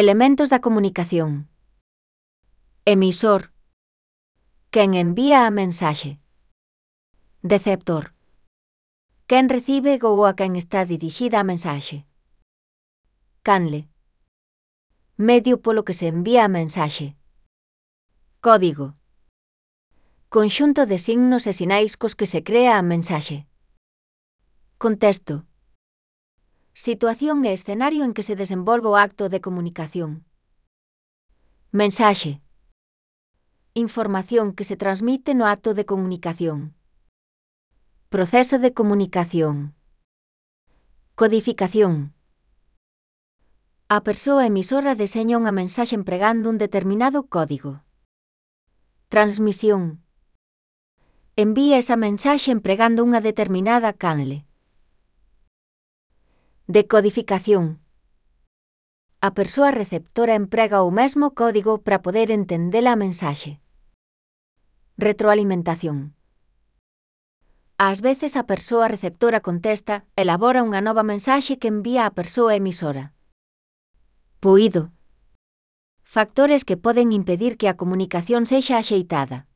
Elementos da comunicación. Emisor. Quen envía a mensaxe. Receptor. Quen recibe ou a quen está dirixida a mensaxe. Canle. Medio polo que se envía a mensaxe. Código. Conxunto de signos e sinais cos que se crea a mensaxe. Contexto. Situación e escenario en que se desenvolve o acto de comunicación. Mensaxe. Información que se transmite no acto de comunicación. Proceso de comunicación. Codificación. A persoa emisora deseña unha mensaxe empregando un determinado código. Transmisión. Envía esa mensaxe empregando unha determinada canle. Decodificación. A persoa receptora emprega o mesmo código para poder entender a mensaxe. Retroalimentación. Ás veces a persoa receptora contesta, elabora unha nova mensaxe que envía á persoa emisora. Puído. Factores que poden impedir que a comunicación sexa axeitada.